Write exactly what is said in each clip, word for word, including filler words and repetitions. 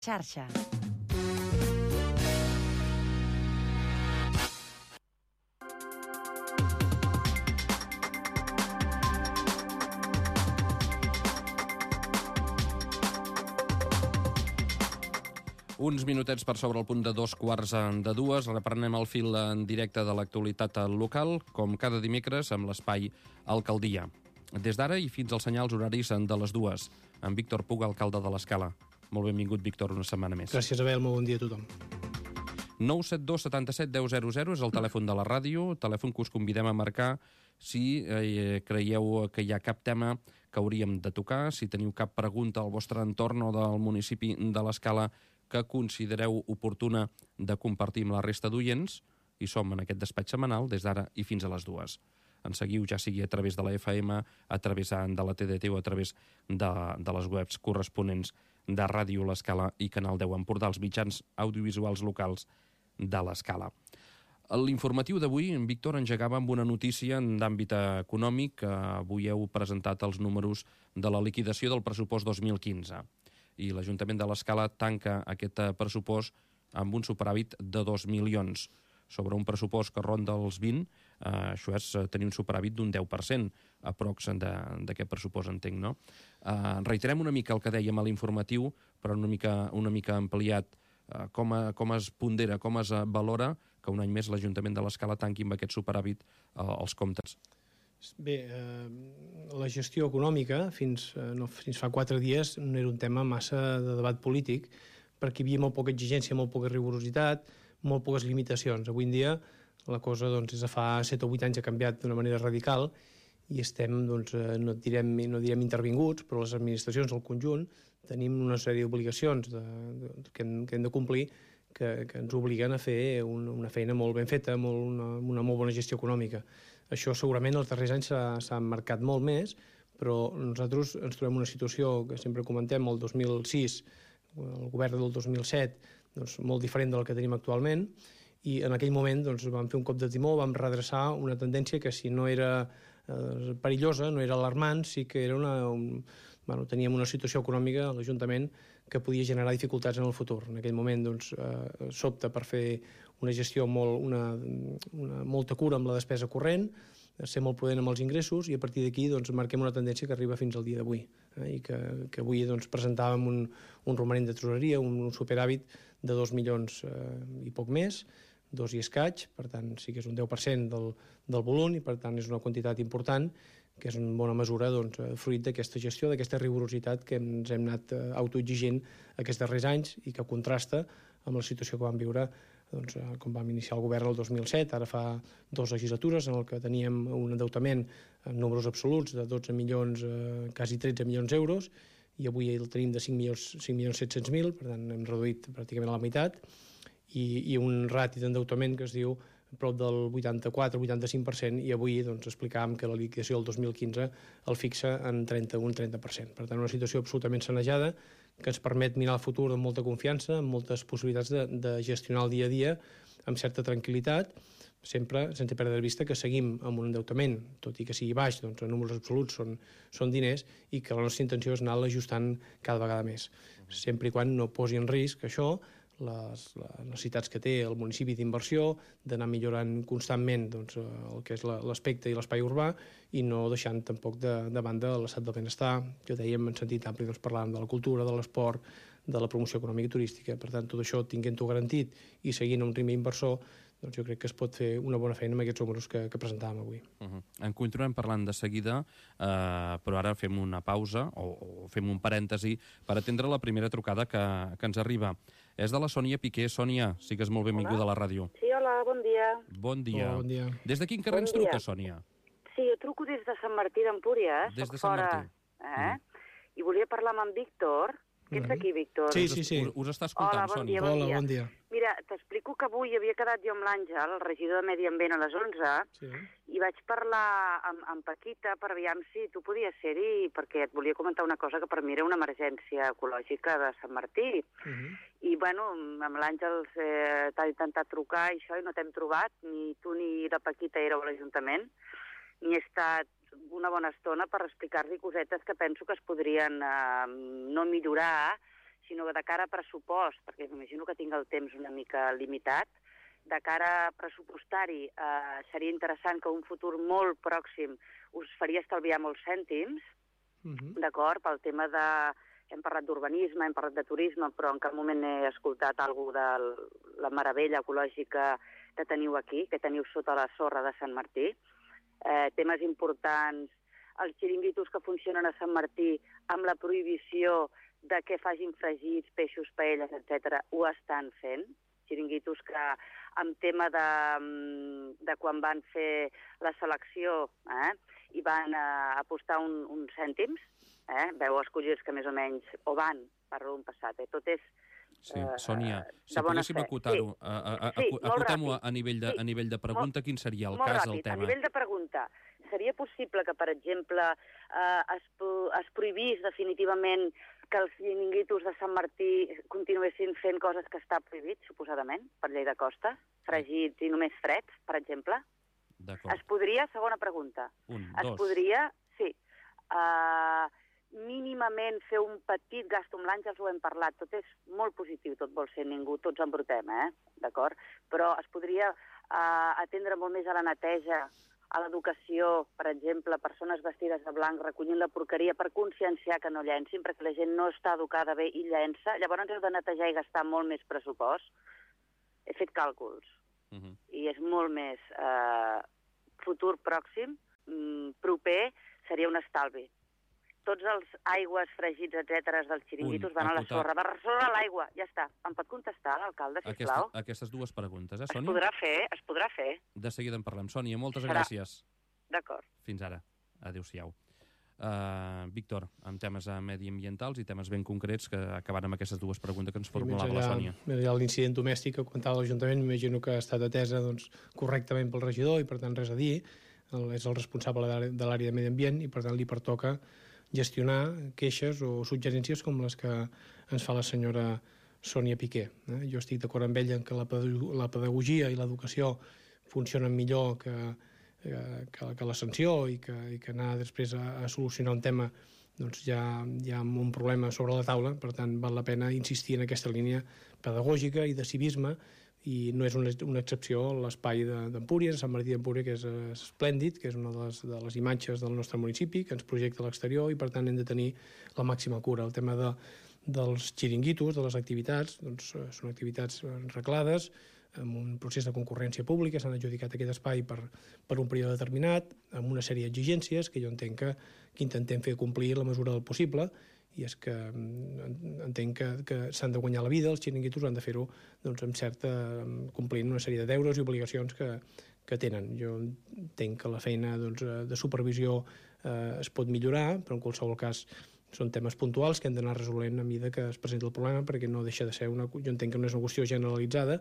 Xarxa. Uns minutets per sobre el punt de dos quarts de dues. Reprenem el fil en directe de l'actualitat local, com cada dimecres, amb l'espai Alcaldia. Des d'ara i fins als senyals horaris de les dues, amb Víctor Puga, alcalde de l'Escala. Molt benvingut, Víctor, una setmana més. Gràcies, Abel. Molt bon dia a tothom. nou set dos setanta set deu zero zero és el telèfon de la ràdio, telèfon que us convidem a marcar si eh, creieu que hi ha cap tema que hauríem de tocar, si teniu cap pregunta al vostre entorn o del municipi de l'Escala que considereu oportuna de compartir amb la resta d'oients, i som en aquest despatx setmanal des d'ara i fins a les dues. Ens seguiu ja sigui a través de la F M, a través de la T D T o a través de, de les webs corresponents de Ràdio L'Escala i Canal deu Empordà, els mitjans audiovisuals locals de l'Escala. L'informatiu d'avui, en Víctor, engegava amb una notícia d'àmbit econòmic. Avui heu presentat els números de la liquidació del pressupost dos mil quinze. I l'Ajuntament de l'Escala tanca aquest pressupost amb un superàvit de dos milions. Sobre un pressupost que ronda els vint, eh, això és tenir un superàvit d'un deu per cent, aprox d'aquest pressupost, entenc, no? Eh, reiterem una mica el que dèiem a l'informatiu, però una mica, una mica ampliat. Eh, com, a, com es pondera, com es valora que un any més l'Ajuntament de l'Escala tanqui amb aquest superàvit eh, els comptes? Bé, eh, la gestió econòmica fins, eh, no, fins fa quatre dies no era un tema massa de debat polític, perquè hi havia molt poca exigència, molt poca rigorositat, molt poques limitacions. Avui en dia la cosa, doncs, des de fa set o vuit anys ha canviat d'una manera radical i estem, doncs, no direm, no direm intervinguts, però les administracions al conjunt tenim una sèrie d'obligacions de, de, que, hem, que hem de complir que, que ens obliguen a fer un, una feina molt ben feta, molt, una, una molt bona gestió econòmica. Això segurament els darrers anys s'ha marcat molt més, però nosaltres ens trobem una situació que sempre comentem, el dos mil sis, el govern del dos mil set, doncs, molt diferent del que tenim actualment, i en aquell moment doncs, vam fer un cop de timó, vam redreçar una tendència que si no era eh, perillosa, no era alarmant, sí que era una, un, bueno, teníem una situació econòmica a l'Ajuntament que podia generar dificultats en el futur. En aquell moment doncs, eh, s'opta per fer una gestió molt, una, una, molta cura amb la despesa corrent, ser molt prudent amb els ingressos, i a partir d'aquí doncs, marquem una tendència que arriba fins al dia d'avui, eh, i que, que avui doncs, presentàvem un, un romanent de tresoreria, un, un superàvit de dos milions eh, i poc més, dos i escaig, per tant sí que és un deu per cent del, del volum, i per tant és una quantitat important que és en bona mesura doncs, fruit d'aquesta gestió, d'aquesta rigorositat que ens hem anat eh, autoexigint aquests darrers anys i que contrasta amb la situació que vam viure doncs, com vam iniciar el govern el dos mil set, ara fa dues legislatures en el que teníem un endeutament en números absoluts de dotze milions, eh, quasi tretze milions d'euros, i avui el tenim de cinc milions set-cents mil, per tant hem reduït pràcticament a la meitat, i, i un rati d'endeutament que es diu prop del vuitanta-quatre vuitanta-cinc per cent, i avui doncs, explicàvem que la liquidació del dos mil quinze el fixa en trenta-un trenta per cent. Per tant, una situació absolutament sanejada que ens permet mirar el futur amb molta confiança, amb moltes possibilitats de, de gestionar el dia a dia amb certa tranquil·litat, sempre sense perdre de vista que seguim amb un endeutament, tot i que sigui baix, doncs en números absoluts són, són diners, i que la nostra intenció és anar l'ajustant cada vegada més, sempre i quan no posi en risc això les, les necessitats que té el municipi d'inversió, d'anar millorant constantment doncs, el que és l'aspecte i l'espai urbà, i no deixant tampoc de, de banda l'estat del benestar, que dèiem en sentit ampli, doncs, parlàvem de la cultura, de l'esport, de la promoció econòmica i turística. Per tant, tot això tinguent-ho garantit i seguint un ritme inversor, doncs jo crec que es pot fer una bona feina amb aquests números que, que presentàvem avui. Uh-huh. En continuem parlant de seguida, eh, però ara fem una pausa o, o fem un parèntesi per atendre la primera trucada que, que ens arriba. És de la Sònia Piqué. Sònia, sigues molt benvinguda a la ràdio. Sí, hola, bon dia. Bon dia. Hola, bon dia. Des de quin carrer bon ens truca, Sònia? Sí, jo truco des de Sant Martí d'Empúria, eh? Des Soc de Sant fora, Martí. Eh? Mm. I volia parlar amb en Víctor. Que ets aquí, Víctor? Sí, sí, sí. Us, us està escoltant, Hola, bon Sònia. dia, bon Hola, dia. bon dia. Mira, t'explico que avui havia quedat jo amb l'Àngel, el regidor de Medi Ambient, a les onze, Sí. i vaig parlar amb, amb Paquita per aviam si tu podies ser-hi, perquè et volia comentar una cosa que per mi era una emergència ecològica de Sant Martí. Uh -huh. I, bueno, amb l'Àngel eh, t'ha intentat trucar i això, i no t'hem trobat, ni tu ni la Paquita éreu a l'Ajuntament, ni he estat una bona estona per explicar-li cosetes que penso que es podrien eh, no millorar sinó de cara a pressupost, perquè m'imagino que tinc el temps una mica limitat, de cara a pressupostari eh, seria interessant que un futur molt pròxim us faria estalviar molts cèntims, uh-huh. d'acord, pel tema de... Hem parlat d'urbanisme, hem parlat de turisme, però en cap moment he escoltat alguna de la meravella ecològica que teniu aquí, que teniu sota la sorra de Sant Martí. Eh, temes importants, els xiringuitos que funcionen a Sant Martí amb la prohibició de que facin fregits, peixos, paelles, etcètera, ho estan fent. Xiringuitos que amb tema de, de quan van fer la selecció eh, i van eh, apostar un, uns cèntims, eh, veu escollir els que més o menys o van, parlo d'un passat, eh, tot és Sí, Sònia, eh, si poguéssim acotar-ho, sí. a, a, sí, acotem-ho a nivell de, sí. a nivell de pregunta, quin seria el molt cas ràpid. del tema? A nivell de pregunta, seria possible que, per exemple, eh, es, es prohibís definitivament que els xiringuitos de Sant Martí continuessin fent coses que està prohibit, suposadament, per llei de costa, fregits i només freds, per exemple? D'acord. Es podria, segona pregunta, Un, es dos. podria, sí, eh, mínimament fer un petit gasto amb l'Àngels, ho hem parlat, tot és molt positiu, tot vol ser ningú, tots embrutem, eh? D'acord? Però es podria eh, atendre molt més a la neteja, a l'educació, per exemple, persones vestides de blanc recollint la porqueria per conscienciar que no llencin, perquè la gent no està educada bé i llença, llavors heu de netejar i gastar molt més pressupost. He fet càlculs, uh -huh. i és molt més eh, futur pròxim, mm, proper, seria un estalvi. Tots els aigües, fregits, etcètera, dels xiringuitos van a la sorra. Va a la sorra a l'aigua, ja està. Em pot contestar, l'alcalde, sisplau? Aquesta, aquestes dues preguntes, eh, Sònia? Es podrà fer, es podrà fer. De seguida en parlem. Sònia, moltes Serà. gràcies. D'acord. Fins ara. Adéu-siau. Uh, Víctor, amb temes uh, mediambientals i temes ben concrets que acaben amb aquestes dues preguntes que ens formulava allà, la Sònia. Més allà l'incident domèstic que comentava l'Ajuntament, m'imagino que ha estat atesa doncs, correctament pel regidor i per tant res a dir. El, és el responsable de l'àrea de medi ambient i per tant li pertoca gestionar queixes o suggerències com les que ens fa la senyora Sònia Piqué. Eh? Jo estic d'acord amb ella en que la, la pedagogia i l'educació funcionen millor que, que, que la sanció i que, i que anar després a, a solucionar un tema doncs ja, ja amb un problema sobre la taula. Per tant, val la pena insistir en aquesta línia pedagògica i de civisme, i no és una, una excepció l'espai d'Empúries, Sant Martí d'Empúries, que és esplèndid, que és una de les, de les imatges del nostre municipi, que ens projecta a l'exterior, i per tant hem de tenir la màxima cura. El tema de, dels xiringuitos, de les activitats, doncs són activitats reglades, amb un procés de concurrència pública, s'han adjudicat aquest espai per, per un període determinat, amb una sèrie d'exigències que jo entenc que, que intentem fer complir la mesura del possible, i és que entenc que, que s'han de guanyar la vida, els xiringuitos han de fer-ho doncs, amb certa, complint una sèrie de deures i obligacions que, que tenen. Jo entenc que la feina doncs, de supervisió eh, es pot millorar, però en qualsevol cas són temes puntuals que hem d'anar resolent a mesura que es presenta el problema, perquè no deixa de ser una... Jo entenc que no és una qüestió generalitzada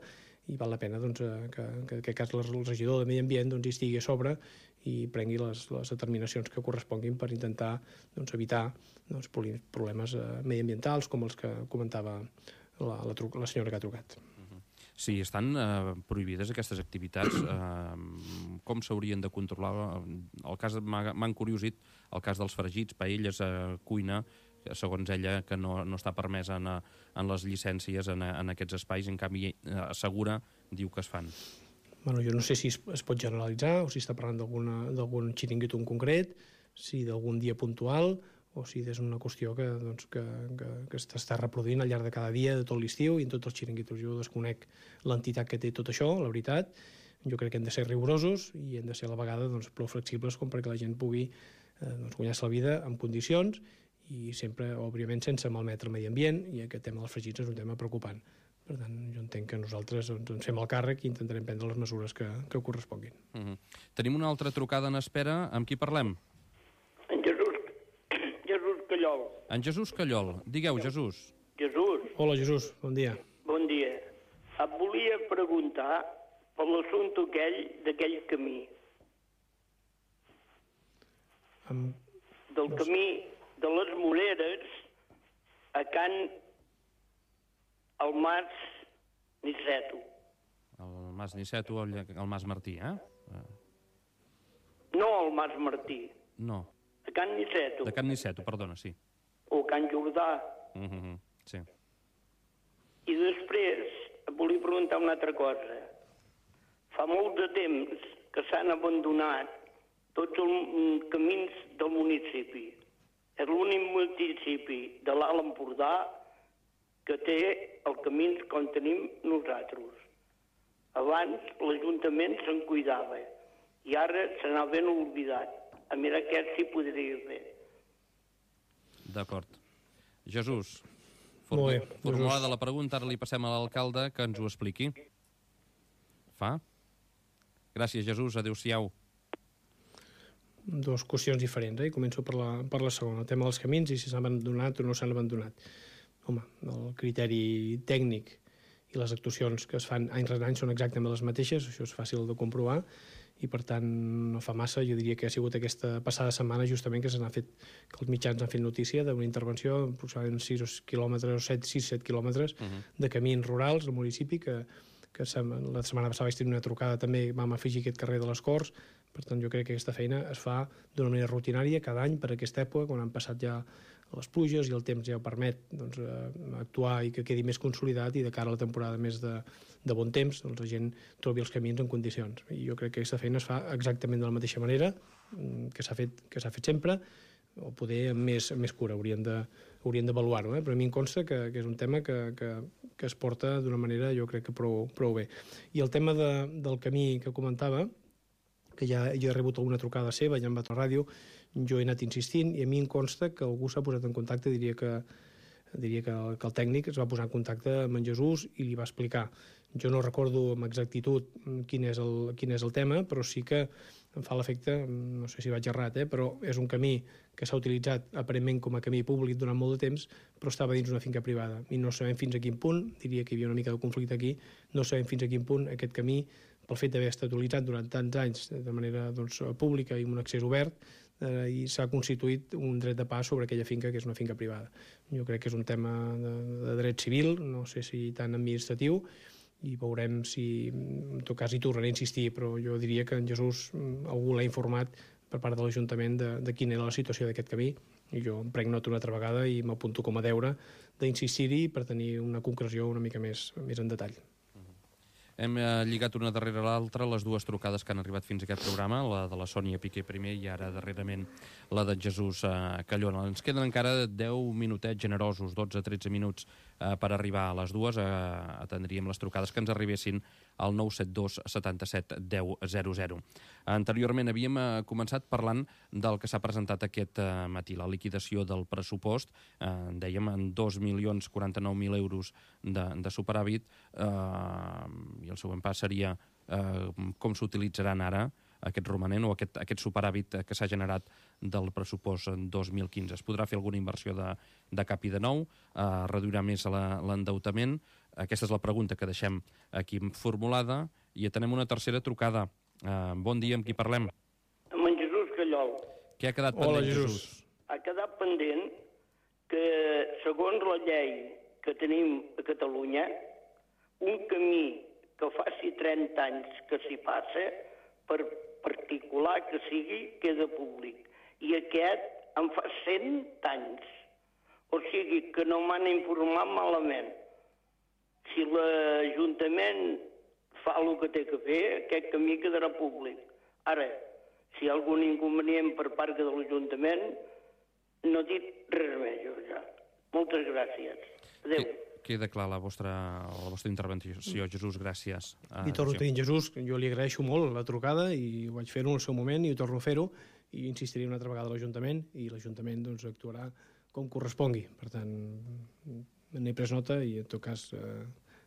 i val la pena doncs, que, que en aquest cas el regidor de Medi Ambient doncs, hi estigui a sobre i prengui les, les determinacions que corresponguin per intentar doncs, evitar doncs, problemes eh, mediambientals com els que comentava la, la, la senyora que ha trucat. Sí, estan eh, prohibides aquestes activitats. Eh, com s'haurien de controlar? El cas m'ha encuriosit el cas dels fregits, paelles, eh, cuina, segons ella, que no, no està permesa en, en les llicències en, en aquests espais, en canvi eh, assegura, diu que es fan. Bueno, jo no sé si es, es pot generalitzar o si està parlant d'algun xiringuito en concret, si d'algun dia puntual o si és una qüestió que, doncs, que, que, que s'està reproduint al llarg de cada dia de tot l'estiu i en tots els xiringuitos. Jo desconec l'entitat que té tot això, la veritat. Jo crec que hem de ser rigorosos i hem de ser a la vegada doncs, prou flexibles com perquè la gent pugui eh, doncs, guanyar-se la vida en condicions i sempre, òbviament, sense malmetre el medi ambient, i aquest tema dels fregits és un tema preocupant. Per tant, jo entenc que nosaltres doncs, ens fem el càrrec i intentarem prendre les mesures que, que corresponguin. Uh -huh. Tenim una altra trucada en espera. Amb qui parlem? En Jesús, Jesús Callol. En Jesús Callol. Digueu, Jesús. Jesús. Hola, Jesús. Bon dia. Bon dia. Et volia preguntar per l'assumpte aquell d'aquell camí. Amb... Del camí de les Moreres a Can el Mas Niceto. El Mas Niceto, el, el Mas Martí, eh? No el Mas Martí. No. A Can Niceto. De Can Niceto, perdona, sí. O Can Jordà. Uh -huh, sí. I després volia preguntar una altra cosa. Fa molt de temps que s'han abandonat tots els camins del municipi. És l'únic municipi de l'Alt Empordà que té els camins com tenim nosaltres. Abans l'Ajuntament se'n cuidava i ara se n'ha ben oblidat. A mirar aquest sí podria fer. D'acord. Jesús, Molt bé, formulada Jesús. la pregunta, ara li passem a l'alcalde que ens ho expliqui. Fa? Gràcies, Jesús. Adéu-siau. Dues qüestions diferents, eh? Començo per la, per la segona, el tema dels camins i si s'han abandonat o no s'han abandonat. Home, el criteri tècnic i les actuacions que es fan any rere any són exactament les mateixes, això és fàcil de comprovar, i per tant no fa massa, jo diria que ha sigut aquesta passada setmana justament que se n'ha fet, que els mitjans han fet notícia d'una intervenció aproximadament sis quilòmetres o set, sis set quilòmetres uh -huh. de camins rurals al municipi, que, que la setmana passada vaig tenir una trucada també, vam afegir aquest carrer de les Corts. Per tant, jo crec que aquesta feina es fa d'una manera rutinària cada any per aquesta època, quan han passat ja les pluges i el temps ja ho permet doncs, eh, actuar i que quedi més consolidat, i de cara a la temporada més de, de bon temps doncs, la gent trobi els camins en condicions. I jo crec que aquesta feina es fa exactament de la mateixa manera que s'ha fet, que s'ha fet sempre, o poder amb més, amb més cura, haurien de, haurien d'avaluar-ho, eh? Però a mi em consta que, que és un tema que, que, que es porta d'una manera, jo crec que prou, prou bé. I el tema de, del camí que comentava, que ja, ja he rebut alguna trucada seva, ja em va a la ràdio, jo he anat insistint i a mi em consta que algú s'ha posat en contacte, diria que, diria que, el, que el tècnic es va posar en contacte amb en Jesús i li va explicar. Jo no recordo amb exactitud quin és el, quin és el tema, però sí que em fa l'efecte, no sé si vaig errat, eh, però és un camí que s'ha utilitzat aparentment com a camí públic durant molt de temps, però estava dins una finca privada. I no sabem fins a quin punt, diria que hi havia una mica de conflicte aquí, no sabem fins a quin punt aquest camí, pel fet d'haver estat utilitzat durant tants anys de manera doncs, pública i amb un accés obert, eh, i s'ha constituït un dret de pas sobre aquella finca que és una finca privada. Jo crec que és un tema de, de dret civil, no sé si tant administratiu, i veurem si, en tot cas hi tornaré a insistir, però jo diria que en Jesús algú l'ha informat per part de l'Ajuntament de, de quina era la situació d'aquest camí, i jo em prenc nota una altra vegada i m'apunto com a deure d'insistir-hi per tenir una concreció una mica més, més en detall. Hem eh, lligat una darrere l'altra les dues trucades que han arribat fins a aquest programa, la de la Sònia Piqué primer i ara darrerament la de Jesús eh, Callona. Ens queden encara deu minutets generosos, dotze tretze minuts eh, per arribar a les dues. Eh, atendríem les trucades que ens arribessin al nou set dos setanta-set deu zero zero. Anteriorment havíem eh, començat parlant del que s'ha presentat aquest eh, matí, la liquidació del pressupost, eh, dèiem en dos milions quaranta-nou mil euros de, de superàvit, eh, i el següent pas seria eh, com s'utilitzaran ara aquest romanent o aquest, aquest superàvit que s'ha generat del pressupost en dos mil quinze. Es podrà fer alguna inversió de, de cap i de nou, eh, reduirà més l'endeutament. Aquesta és la pregunta que deixem aquí formulada i atenem una tercera trucada. Eh, bon dia, amb qui parlem? Amb en Jesús Callol. Què ha quedat Hola, pendent, Jesús? Jesús? Ha quedat pendent que, segons la llei que tenim a Catalunya, un camí que faci trenta anys que s'hi passa, per particular que sigui, queda públic. I aquest en fa cent anys. O sigui que no m'han informat malament. Si l'Ajuntament fa el que té que fer, aquest camí quedarà públic. Ara, si hi ha algun inconvenient per part de l'Ajuntament, no he dit res més, jo ja. Moltes gràcies. Adéu. Queda clar la vostra, la vostra intervenció, Jesús, gràcies. I torno a tenir Jesús, jo li agraeixo molt la trucada i ho vaig fer-ho en el seu moment i ho torno a fer-ho i insistiré una altra vegada a l'Ajuntament i l'Ajuntament doncs, actuarà com correspongui. Per tant, n'he pres nota i en tot cas eh,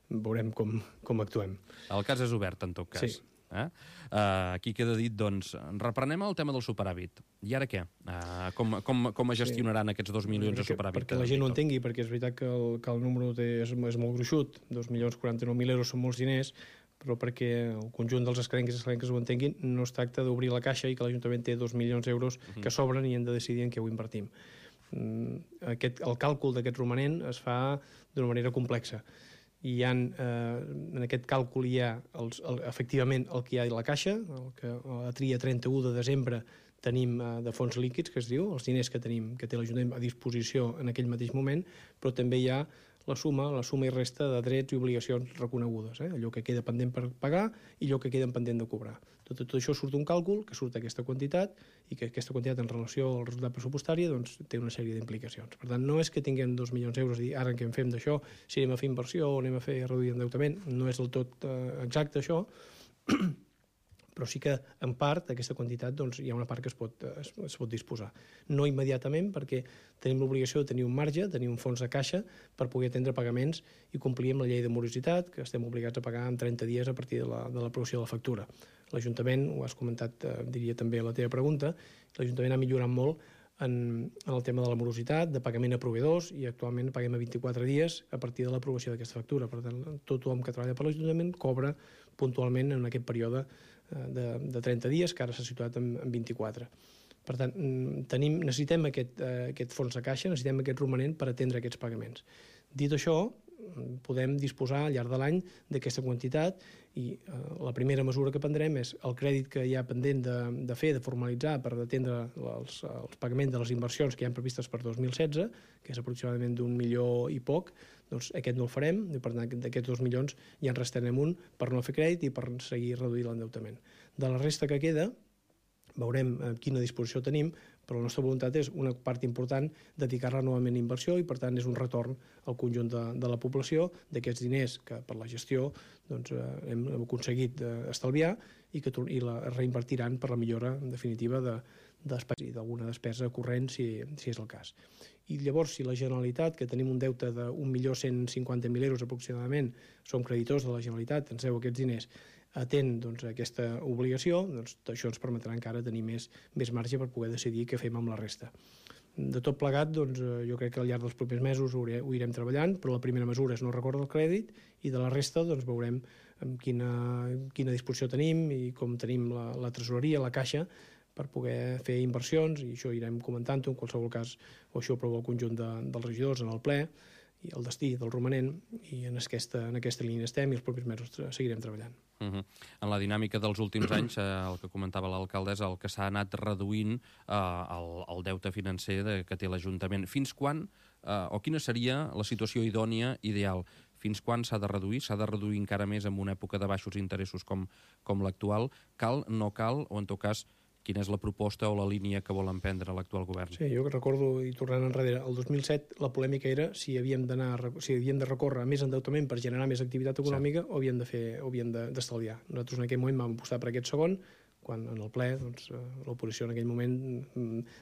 veurem com, com actuem. El cas és obert, en tot cas. Sí. Eh? Uh, aquí queda dit, doncs, reprenem el tema del superàvit. I ara què? Uh, com, com, com es gestionaran sí. aquests dos milions perquè, de superàvit? Perquè la gent ho entengui, perquè és veritat que el, que el número té, és, és molt gruixut, dos milions quaranta-nou mil euros són molts diners, però perquè el conjunt dels escarencs i escarenques ho entenguin, no es tracta d'obrir la caixa i que l'Ajuntament té dos milions d'euros uh-huh. que sobren i hem de decidir en què ho invertim. Aquest, el càlcul d'aquest romanent es fa d'una manera complexa. I hi ha, eh, en aquest càlcul hi ha els, el, efectivament el que hi ha a la caixa, el que a tria trenta-u de desembre tenim eh, de fons líquids, que es diu, els diners que tenim que té l'Ajuntament a disposició en aquell mateix moment, però també hi ha la suma, la suma i resta de drets i obligacions reconegudes, eh? Allò que queda pendent per pagar i allò que queda pendent de cobrar. Tot, tot això surt un càlcul, que surt aquesta quantitat, i que aquesta quantitat en relació al resultat pressupostari doncs, té una sèrie d'implicacions. Per tant, no és que tinguem dos milions d'euros i dir, ara què en fem d'això, si anem a fer inversió o anem a fer reduir endeutament, no és del tot eh, exacte això, però sí que, en part, aquesta quantitat doncs, hi ha una part que es pot, es, es pot disposar. No immediatament, perquè tenim l'obligació de tenir un marge, tenir un fons de caixa per poder atendre pagaments i complir amb la llei de morositat, que estem obligats a pagar en trenta dies a partir de l'aprovació de, de la factura. L'Ajuntament, ho has comentat, eh, diria també a la teva pregunta, l'Ajuntament ha millorat molt en, en el tema de la morositat, de pagament a proveïdors, i actualment paguem a vint-i-quatre dies a partir de l'aprovació d'aquesta factura. Per tant, tothom que treballa per l'Ajuntament cobra puntualment en aquest període de, de trenta dies, que ara s'ha situat en, en vint-i-quatre. Per tant, tenim, necessitem aquest, eh, aquest fons de caixa, necessitem aquest romanent per atendre aquests pagaments. Dit això, podem disposar al llarg de l'any d'aquesta quantitat i eh, la primera mesura que prendrem és el crèdit que hi ha pendent de, de fer, de formalitzar per atendre els, els pagaments de les inversions que hi ha previstes per dos mil setze, que és aproximadament d'un milió i poc, doncs aquest no el farem, i per tant d'aquests dos milions ja en restarem un per no fer crèdit i per seguir reduint l'endeutament. De la resta que queda, veurem quina disposició tenim, però la nostra voluntat és una part important dedicar-la novament a inversió i per tant és un retorn al conjunt de, de la població d'aquests diners que per la gestió doncs, eh, hem aconseguit eh, estalviar i que i la reinvertiran per la millora en definitiva de, i d'alguna despesa corrent si, si és el cas. I llavors, si la Generalitat, que tenim un deute d'un milió cent cinquanta mil euros aproximadament, som creditors de la Generalitat, ens deu aquests diners, atén doncs, aquesta obligació, doncs, això ens permetrà encara tenir més, més marge per poder decidir què fem amb la resta. De tot plegat, doncs, jo crec que al llarg dels propers mesos ho irem treballant, però la primera mesura és no recórrer el crèdit i de la resta doncs, veurem quina, quina disposició tenim i com tenim la, la tresoreria, la caixa, per poder fer inversions, i això irem comentant-ho, en qualsevol cas, o això ho aprova el conjunt de, dels regidors en el ple, i el destí del romanent, i en aquesta, en aquesta línia estem i els propers mesos seguirem treballant. Uh-huh. En la dinàmica dels últims anys, eh, el que comentava l'alcaldessa, el que s'ha anat reduint eh, el, el deute financer de, que té l'Ajuntament. Fins quan, eh, o quina seria la situació idònia, ideal? Fins quan s'ha de reduir? S'ha de reduir encara més en una època de baixos interessos com, com l'actual? Cal, no cal, o en tot cas, quina és la proposta o la línia que vol emprendre l'actual govern? Sí, jo recordo, i tornant enrere, el dos mil set la polèmica era si havíem d'anar, si havíem de recórrer a més endeutament per generar més activitat econòmica, sí, o havíem de fer, o havíem d'estalviar. Nosaltres en aquell moment vam apostar per aquest segon, quan en el ple doncs, l'oposició en aquell moment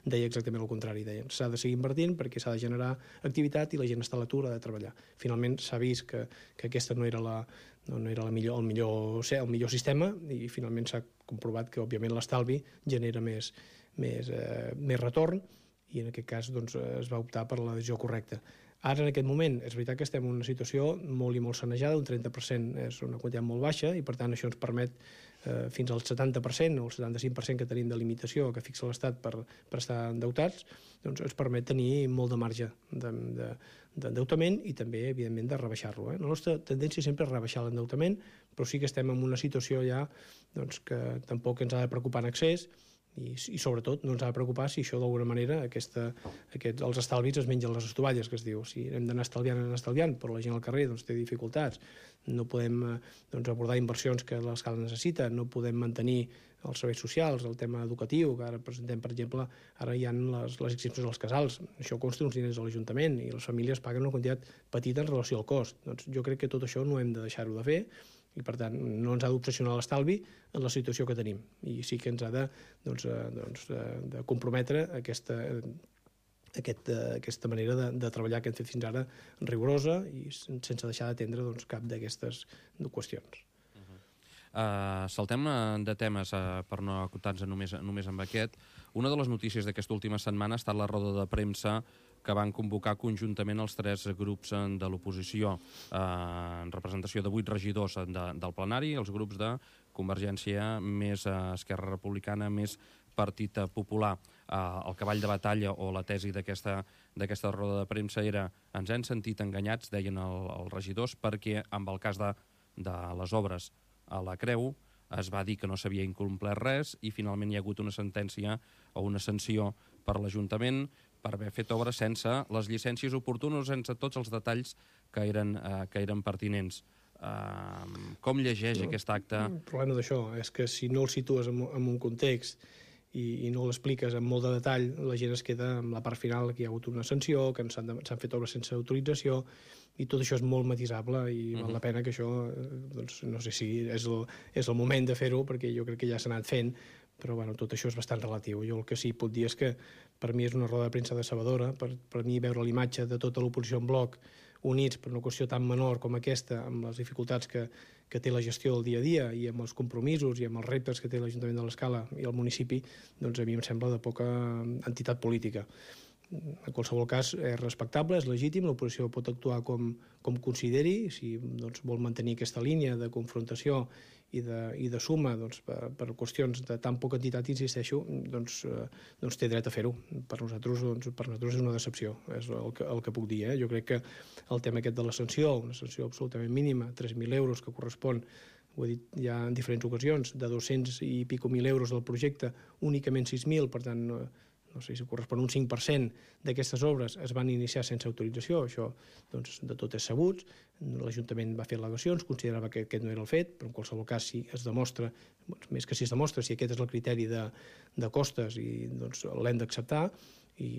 deia exactament el contrari, deien s'ha de seguir invertint perquè s'ha de generar activitat i la gent està a l'atur, ha de treballar. Finalment s'ha vist que, que aquesta no era, la, no, no era la millor, el, millor, el millor sistema i finalment s'ha comprovat que òbviament l'estalvi genera més, més, eh, més retorn i en aquest cas doncs, es va optar per la decisió correcta. Ara, en aquest moment, és veritat que estem en una situació molt i molt sanejada, un trenta per cent és una quantitat molt baixa i per tant això ens permet eh, fins al setanta per cent o el setanta-cinc per cent que tenim de limitació que fixa l'Estat per, per estar endeutats, doncs ens permet tenir molt de marge d'endeutament de, de, i també, evidentment, de rebaixar-lo. Eh? La nostra tendència sempre és rebaixar l'endeutament, però sí que estem en una situació ja doncs, que tampoc ens ha de preocupar en excés i, i sobretot no ens ha de preocupar si això d'alguna manera aquesta, aquest, els estalvis es mengen les estovalles, que es diu. Si hem d'anar estalviant, anem estalviant, però la gent al carrer doncs, té dificultats, no podem doncs, abordar inversions que l'escala necessita, no podem mantenir els serveis socials, el tema educatiu, que ara presentem, per exemple, ara hi ha les, les exempcions als casals, això costa uns diners a l'Ajuntament i les famílies paguen una quantitat petita en relació al cost. Doncs jo crec que tot això no hem de deixar-ho de fer, i per tant no ens ha d'obsessionar l'estalvi en la situació que tenim i sí que ens ha de, doncs, doncs, de comprometre aquesta, aquest, aquesta manera de, de treballar que hem fet fins ara rigorosa i sense deixar d'atendre doncs, cap d'aquestes qüestions. Uh-huh. uh, saltem de temes uh, per no acotar-nos només, només amb aquest. Una de les notícies d'aquesta última setmana ha estat la roda de premsa que van convocar conjuntament els tres grups de l'oposició, eh, en representació de vuit regidors de, del plenari, els grups de Convergència, més eh, Esquerra Republicana, més Partit Popular. Eh, el cavall de batalla o la tesi d'aquesta d'aquesta roda de premsa era ens hem sentit enganyats, deien el, els regidors, perquè amb el cas de, de les obres a la Creu es va dir que no s'havia incomplert res i finalment hi ha hagut una sentència o una sanció per l'Ajuntament per haver fet obra sense les llicències oportunes, sense tots els detalls que eren, eh, que eren pertinents. Uh, com llegeix no, aquest acte? El problema d'això és que si no el situes en, en un context i, i no l'expliques amb molt de detall, la gent es queda amb la part final que hi ha hagut una sanció, que s'han fet obres sense autorització, i tot això és molt matisable i uh-huh. val la pena que això, doncs, no sé si és el, és el moment de fer-ho, perquè jo crec que ja s'ha anat fent, però bueno, tot això és bastant relatiu. Jo el que sí puc dir és que per mi és una roda de premsa decebedora, per, per mi veure l'imatge de tota l'oposició en bloc units per una qüestió tan menor com aquesta, amb les dificultats que, que té la gestió del dia a dia i amb els compromisos i amb els reptes que té l'Ajuntament de l'Escala i el municipi, doncs a mi em sembla de poca entitat política. En qualsevol cas, és respectable, és legítim, l'oposició pot actuar com, com consideri, si doncs, vol mantenir aquesta línia de confrontació i de, i de suma doncs, per, per qüestions de tan poca entitat, insisteixo, doncs, eh, doncs té dret a fer-ho. Per nosaltres, doncs, per nosaltres és una decepció, és el que, el que puc dir. Eh? Jo crec que el tema aquest de la sanció, una sanció absolutament mínima, tres mil euros, que correspon, ho he dit ja en diferents ocasions, de dos-cents i pico mil euros del projecte, únicament sis mil, per tant, no, no sé si correspon un cinc per cent d'aquestes obres es van iniciar sense autorització, això doncs, de tot és sabut. L'Ajuntament va fer al·legacions, considerava que aquest no era el fet, però en qualsevol cas si es demostra, doncs, més que si es demostra, si aquest és el criteri de, de costes, i doncs l'hem d'acceptar, i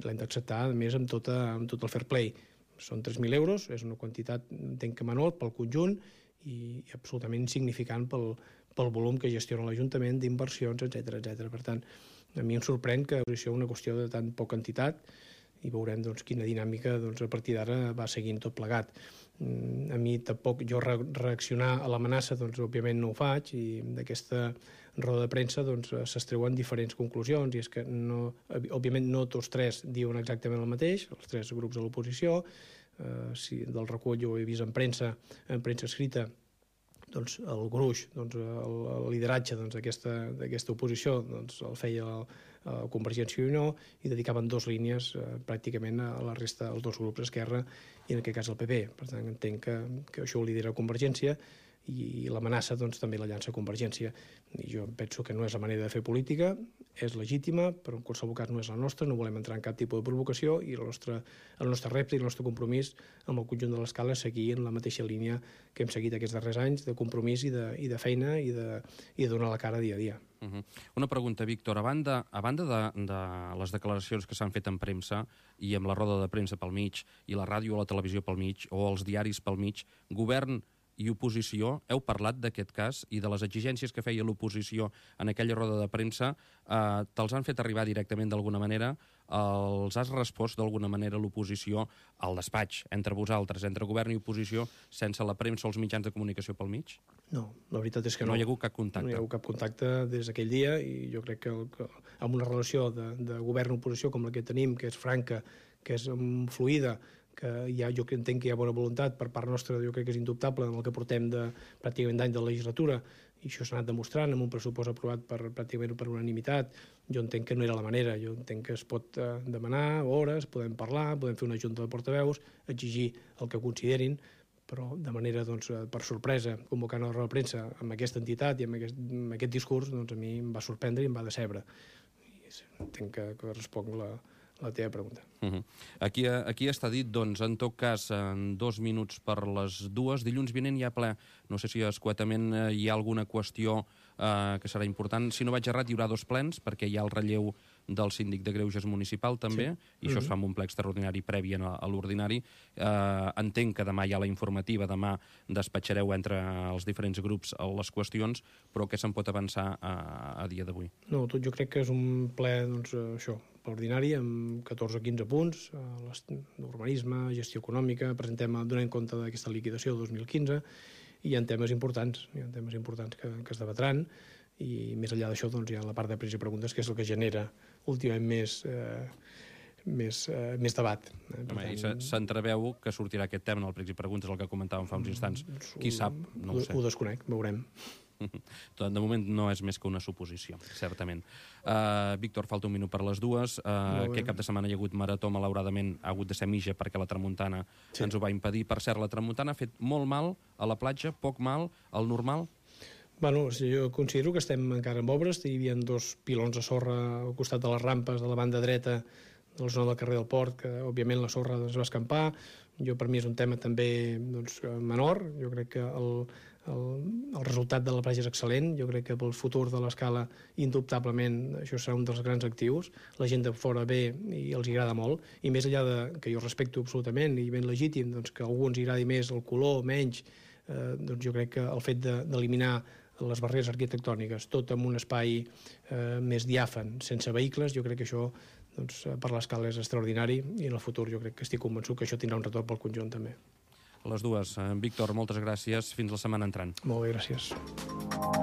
l'hem d'acceptar a més amb, tota, amb tot el fair play. Són tres mil euros, és una quantitat, entenc que menor pel conjunt, i, i absolutament insignificant pel, pel volum que gestiona l'Ajuntament d'inversions, etcètera, etcètera. Per tant, a mi em sorprèn que això és una qüestió de tan poca entitat i veurem doncs, quina dinàmica doncs, a partir d'ara va seguint tot plegat. A mi tampoc, jo re reaccionar a l'amenaça, doncs, òbviament no ho faig, i d'aquesta roda de premsa doncs, s'extreuen diferents conclusions, i és que, no, òbviament, no tots tres diuen exactament el mateix, els tres grups de l'oposició. Eh, si del recull jo ho he vist en premsa, en premsa escrita, doncs el gruix, doncs, el, el lideratge d'aquesta doncs, oposició doncs, el feia el, el Convergència i Unió, i dedicaven dues línies eh, pràcticament a la resta, als dos grups, Esquerra i en aquest cas el P P. Per tant, entenc que, que això ho lidera Convergència, i, i l'amenaça doncs, també la llança Convergència. I jo penso que no és la manera de fer política, és legítima, però en qualsevol cas no és la nostra, no volem entrar en cap tipus de provocació, i el nostre, el nostre repte i el nostre compromís amb el conjunt de l'Escala és seguir en la mateixa línia que hem seguit aquests darrers anys, de compromís i de, i de feina i de, i de donar la cara dia a dia. Uh -huh. Una pregunta, Víctor. A banda, a banda de, de les declaracions que s'han fet en premsa i amb la roda de premsa pel mig, i la ràdio o la televisió pel mig, o els diaris pel mig, govern i oposició, heu parlat d'aquest cas i de les exigències que feia l'oposició en aquella roda de premsa, eh, te'ls han fet arribar directament d'alguna manera? Els has respost d'alguna manera l'oposició al despatx, entre vosaltres, entre govern i oposició, sense la premsa o els mitjans de comunicació pel mig? No, la veritat és que no. No hi ha hagut cap contacte? No hi ha hagut cap contacte des d'aquell dia, i jo crec que, el, que amb una relació de, de govern-oposició com la que tenim, que és franca, que és fluida, que ja, jo entenc que hi ha bona voluntat per part nostra, jo crec que és indubtable en el que portem de, pràcticament d'any de legislatura, i això s'ha anat demostrant amb un pressupost aprovat per, pràcticament per unanimitat. Jo entenc que no era la manera, jo entenc que es pot eh, demanar hores, podem parlar, podem fer una junta de portaveus, exigir el que considerin, però de manera, doncs, per sorpresa, convocant a la roda de premsa amb aquesta entitat i amb aquest, amb aquest discurs, doncs a mi em va sorprendre i em va decebre. I entenc que, que responc la, la teva pregunta. Uh -huh. Aquí, aquí està dit, doncs, en tot cas, en dos minuts per les dues. Dilluns vinent hi ha ple. No sé si escuetament eh, hi ha alguna qüestió eh, que serà important. Si no vaig errat, hi haurà dos plens, perquè hi ha el relleu del síndic de Greuges municipal, també, sí. I això uh -huh. es fa amb un ple extraordinari previ a, a l'ordinari. Eh, entenc que demà hi ha la informativa, demà despatxareu entre els diferents grups les qüestions, però què se'n pot avançar a, a dia d'avui? No, tot jo crec que és un ple, doncs, això, ordinari, amb catorze o quinze punts, l'urbanisme, gestió econòmica, presentem, donem compte d'aquesta liquidació del dos mil quinze, i hi ha temes importants, hi ha temes importants que, que es debatran, i més enllà d'això doncs, hi ha la part de pregs i preguntes, que és el que genera últimament més, eh, més, eh, més debat. Eh? Home, tant... s'entreveu que sortirà aquest tema en el pregs i preguntes, el que comentàvem fa uns instants. Qui sap? No ho sé. Ho desconec, veurem. De moment no és més que una suposició, certament. Uh, Víctor, falta un minut per les dues. Uh, aquest cap de setmana hi ha hagut marató, malauradament ha hagut de ser mitja perquè la tramuntana sí. ens ho va impedir. Per cert, la tramuntana ha fet molt mal a la platja, poc mal, al normal? Bueno, jo considero que estem encara en obres. Hi havia dos pilons de sorra al costat de les rampes de la banda dreta de la zona del carrer del Port, que òbviament la sorra es va escampar. Jo, per mi és un tema també doncs, menor. Jo crec que el, el, el resultat de la platja és excel·lent. Jo crec que pel futur de l'escala, indubtablement, això serà un dels grans actius. La gent de fora ve i els agrada molt. I més enllà de, que jo respecto absolutament i ben legítim, doncs, que a algú ens agradi més el color, menys, eh, doncs jo crec que el fet d'eliminar les barreres arquitectòniques, tot en un espai eh, més diàfan, sense vehicles, jo crec que això doncs, per l'escala és extraordinari i en el futur jo crec que estic convençut que això tindrà un retorn pel conjunt també. Les dues. Víctor, moltes gràcies. Fins la setmana entrant. Molt bé, gràcies.